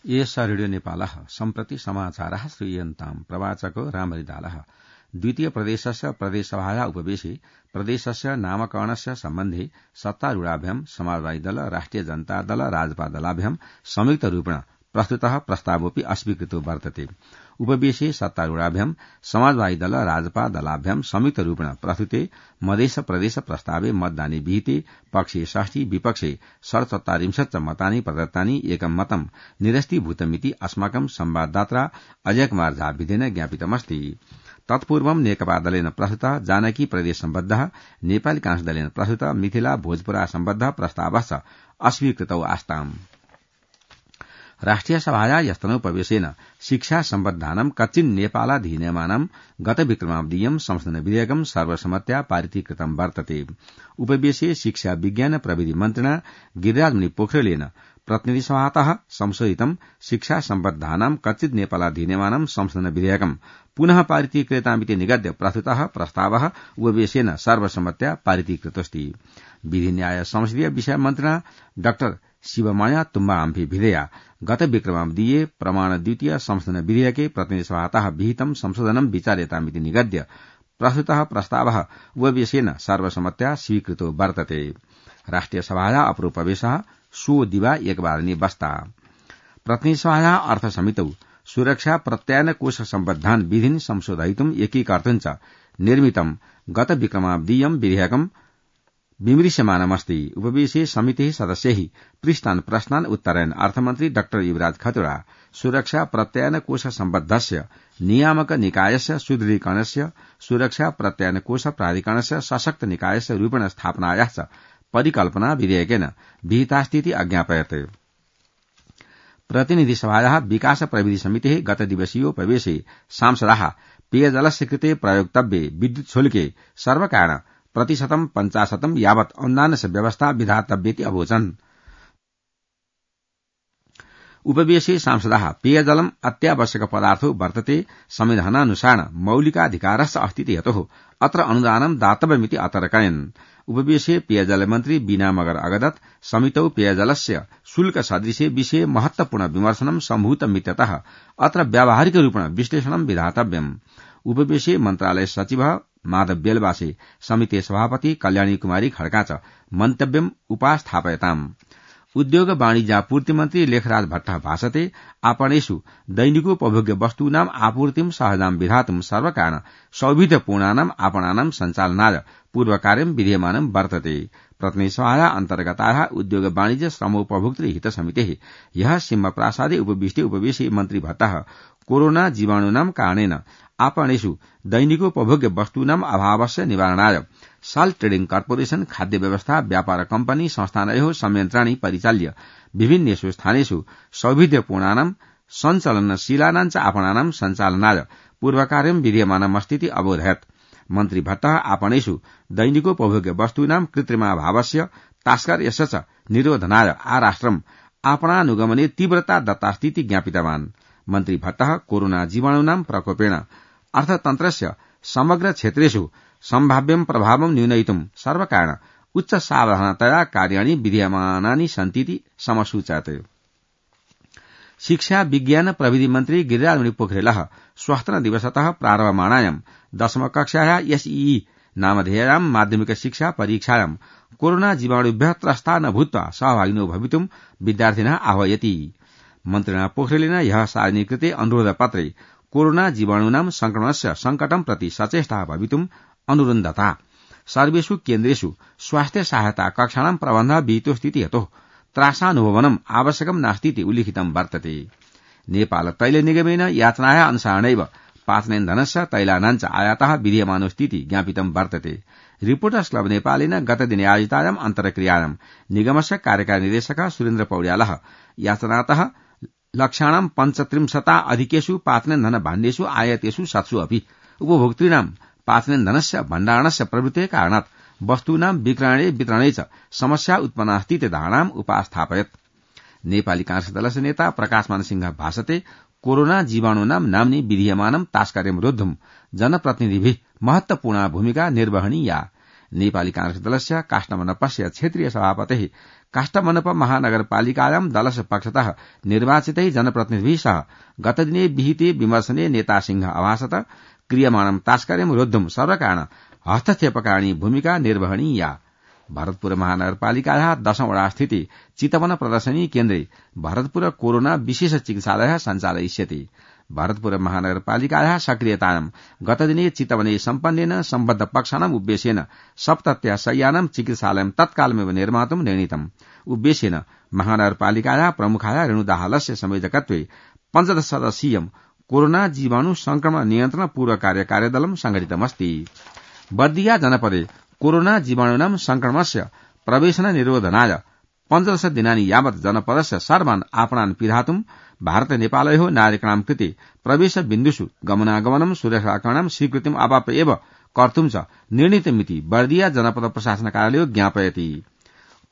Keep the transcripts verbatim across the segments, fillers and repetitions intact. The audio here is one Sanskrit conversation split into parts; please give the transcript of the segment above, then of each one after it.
एष रेडियो नेपालः सम्प्रति समाचारः श्रूयन्ताम् प्रवाचको रामरिदालः द्वितीय प्रदेशस्य प्रदेशसभाया उपवेशे प्रदेशस्य नामकरणस्य सम्बन्धे सत्तारूढाभ्यां समाजवादी दल राष्ट्रिय जनता दल राजपा दलाभ्यां संयुक्तरूपेण प्रस्तुतः प्रस्तावोऽपि अस्वीकृतो वर्तते। उपवेशे सत्तारूढाभ्यां समाजवादी दल राजपा दलाभ्यां संयुक्तरूपेण प्रस्तुते मधेस प्रदेश प्रस्तावे मतदाने विहिते पक्षे षष्टि विपक्षे षड्चत्वारिंशत् मतानि प्रदत्तानि एकं मतं निरस्तीभूतमिति अस्माकं संवाददाता अजय कुमार झाविदेन ज्ञापितमस्ति। तत्पूर्वं नेकपा दलेन प्रस्तुतः जानकी प्रदेश सम्बद्धः नेपाली कांग्रेस दलेन प्रस्तुतः मिथिला भोजपुरा सम्बद्धः प्रस्तावश्च अस्वीकृतौ आस्ताम्। राष्ट्रिय सभाया यस्तनोपवेशेन शिक्षा सम्बद्धानां कच्चिन् नेपालाधीनमानां गत विक्रमावधियं संशोधन विधेयकं सर्वसम्मत्या पारितीकृतं वर्तते। उपवेशे शिक्षा विज्ञान प्रविधि मन्त्रिणा गिरिराजमुनि पोखरेलेन प्रतिनिधि सभातः संशोधितं शिक्षा सम्बद्धानां कच्चित् नेपालाधीनमानां संशोधन विधेयकं पुनः पारितीकृतामिति निगद्य प्रस्तुतः प्रस्तावः उपवेशेन सर्वसम्मत्या पारितीकृतोऽस्ति। विधि न्याय संसदीय विषय मन्त्रिणा डाक्टर शिवमाया तुम्बा आम्फी भिधेया गत विक्रमावधिये प्रमाण द्वितीय संशोधन विधेयके प्रतिनिधि सभातः विहितं संशोधनं विचार्यतामिति निगद्य प्रस्तुतः प्रस्तावः उपवेशेन सर्वसम्मत्या स्वीकृतो वर्तते। राष्ट्रिय सभाया अप्रोपवेशः सो दिवा एकवारनि बस्ता। प्रतिनिधि सभाया अर्थ समितौ सुरक्षा प्रत्यायन कोष सम्बद्धान् विधीन् संशोधयितुम् एकीकर्तुं च निर्मितं गत विक्रमावधियं विधेयकं विमृश्यमानमस्ति। उपवेशे समितेः सदस्यैः पृष्टान् प्रश्नान् उत्तरयन् अर्थमन्त्री डाक्टर युवराज खतुडा सुरक्षा प्रत्यायन कोष सम्बद्धस्य नियामक निकायस्य सुदृढीकरणस्य सुरक्षा प्रत्यायन कोष प्राधिकरणस्य सशक्त निकायस्य रूपेण स्थापनायाश्च परिकल्पना विधेयकेन विहितास्तीति अज्ञापयत्। प्रतिनिधि सभायाः विकास प्रविधि समितेः गत दिवसीयोपवेशे सांसदाः पेयजलस्य कृते प्रयोक्तव्ये विद्युत शुल्के सर्वकारेण प्रतिशतं पञ्चाशतं यावत् अनुदानस्य व्यवस्था विधातव्येति अवोचन्। उपवेशे सांसदाः पेयजलम् अत्यावश्यक पदार्थो वर्तते संविधानानुसारेण मौलिकाधिकारस्य अस्ति यतोः अत्र अनुदानं दातव्यमिति अतर्कयन्। उपवेशे पेयजल मन्त्री बीना मगर अगदत् समितौ पेयजलस्य शुल्क सदृशे विषये महत्वपूर्ण विमर्शनं सम्भूतमित्यतः अत्र व्यावहारिक रूपेण विश्लेषणं विधातव्यम्। उपवेशे मन्त्रालय सचिवः माधव बेलवासे समिते सभापति कल्याणी कुमारी खड्का च मन्तव्यम् उपास्थापयताम्। उद्योग वाणिज्यापूर्ति मन्त्री लेखराज भट्टः भाषते आपणेषु दैनिकोपभोग्य वस्तूनाम् आपूर्तिं सहजां विधातुं सर्वकारेण सौविध्यपूर्णानाम् आपणानां सञ्चालनाय पूर्वकार्यं विधीयमानं वर्तते। प्रतिनिधि सभाया अन्तर्गतायाः उद्योग वाणिज्य श्रमोपभोक्तृ हित समितेः ह्यः सिंहप्रासादे उपविष्टे उपवेशे मन्त्री भट्टः कोरोना जीवाणूनां कारणेन आपणेषु दैनिकोपभोग्य वस्तूनाम् अभावस्य निवारणाय साल्ट ट्रेडिंग कार्पोरेशन खाद्य व्यवस्था व्यापार कम्पनी संस्थानयोः संयन्त्राणि परिचाल्य विभिन्नेषु स्थानेषु सौविध्यपूर्णानां सञ्चलनशीलानां च आपणानां सञ्चालनाय पूर्वकार्यं विधीयमानमस्तीति अबोधयत्। मन्त्री भट्टः आपणेषु दैनिकोपभोग्य वस्तूनां कृत्रिमाभावस्य तास्कर्यस्य च निरोधनाय आराष्ट्रम् आपणानुगमने तीव्रता दत्तास्तीति ज्ञापितवान्। मन्त्री भट्टः कोरोना जीवाणूनां प्रकोपेण अर्थतन्त्रस्य समग्र क्षेत्रेषु सम्भाव्यं प्रभावं न्यूनयितुं सर्वकारेण उच्च सावधानतया कार्याणि विधीयमानानि सन्तीति समसूचयत्। शिक्षा विज्ञान प्रविधि मन्त्री गिरिराजमुनि पोखरेलः स्वस्त्र दिवसतः प्रारभमाणायां दशमकक्षायाः एसईई नामधेयायां माध्यमिक शिक्षा परीक्षायां कोरोना जीवाणुभ्यः त्रस्ता न भूत्वा सहभागिनो भवितुं विद्यार्थिनः आह्वयति। मन्त्रिणा पोखरेलेन ह्यः सार्वजनिकृते अनुरोधपत्रे कोरोना जीवाणूनां संक्रमणस्य संकटं प्रति सचेष्टाः भवितुम् अनुरुन्धता। सर्वेषु केन्द्रेषु स्वास्थ्य सहायता कक्षाणां प्रबन्धः विहितोऽस्तीति यतोः त्रासानुभवनम् आवश्यकं नास्तीति उल्लिखितं वर्तते। नेपाल तैल निगमेन याचनायाः अनुसारेणैव पाचनेन्धनस्य तैलानाञ्च आयातः विधीयमानोऽस्तीति ज्ञापितं वर्तते। रिपोर्टर्स क्लब नेपालेन गतदिने आयोजितायाम् अन्तर्क्रियायां निगमस्य कार्यकारी निर्देशकः सुरेन्द्र पौड्यालः याचनातः लक्ष्याणां पञ्चत्रिंशता अधिकेषु पाचनेन्धन भाण्डेषु आयातेषु सत्सु अपि उपभोक्तॄणां पाचनेन्धनस्य भण्डारणस्य प्रवृत्तेः कारणात् वस्तूनां विक्रयणे वितरणे च समस्या उत्पन्नास्तीति धारणाम् उपास्थापयत्। नेपाली कांग्रेस दलस्य नेता प्रकाशमान सिंह भाषते कोरोना जीवाणूनां नाम्नि विधीयमानं तास्कर्यं रोद्धुं जनप्रतिनिधिभिः महत्वपूर्णा भूमिका निर्वहणीया। नेपाली कांग्रेस दलस्य काष्ठमण्डपस्य क्षेत्रीय सभापतिः काष्ठमण्डप महानगरपालिकायां दलस्य पक्षतः निर्वाचितै जनप्रतिनिधिभिः सह गतदिने विहिते विमर्शने नेता सिंह अभासत क्रियमाणं तास्कर्यं रोद्धुं सर्वकारण हस्तक्षेपकारिणी भूमिका निर्वहणीया। भरतपुर महानगरपालिकायाः दशौं वडा स्थिति चितवन प्रदर्शनी केन्द्रे भरतपुर कोरोना विशेष चिकित्सालयः सञ्चालयिष्यति। भरतपुर महानगरपालिकायाः सक्रियतायां गतदिने चितवने सम्पन्नेन सम्बद्ध पक्षानाम् उद्देश्येन सप्तत्या शय्यानां चिकित्सालयं तत्कालमेव निर्मातुं निर्णीतम्। उद्देश्येन महानगरपालिकायाः प्रमुखाय रेणुदाहालस्य संयोजकत्वे पञ्चदश सदस्यीयं कोरोना जीवाणु संक्रमण नियन्त्रण पूर्व कार्य कार्यदलं संघटितमस्ति। बर्दिया जनपदे कोरोना जीवाणूनां संक्रमणस्य प्रवेशन निरोधनाय पञ्चदश दिनानि यावत् जनपदस्य सर्वान् आपणान् पिधातुं भारत नेपालयोः नागरिकाणां कृते प्रवेश बिन्दुषु गमनागमनं सुरक्षाकरणं स्वीकृतिम् अवाप्य एव कर्तुं च निर्णीतमिति बर्दिया जनपद प्रशासन कार्यालयो ज्ञापयति।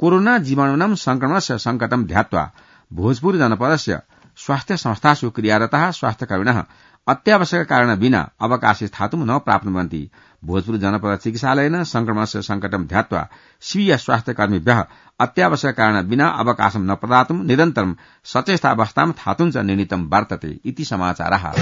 कोरोना जीवाणूनां संक्रमणस्य संकटं ध्यात्वा भोजपुर जनपदस्य स्वास्थ्य संस्थासु क्रियारताः स्वास्थ्यकर्मिणः अत्यावश्यक कारण विना अवकाशे स्थातुं न प्राप्नुवन्ति। भोजपुर जनपद चिकित्सालयेन संक्रमणस्य संकटं ध्यात्वा स्वीय स्वास्थ्यकर्मिभ्यः अत्यावश्यक कारण विना अवकाशं न प्रदातुं निरन्तरं सचेष्टावस्थां स्थातुं च निर्णीतं वर्तते इति समाचारः।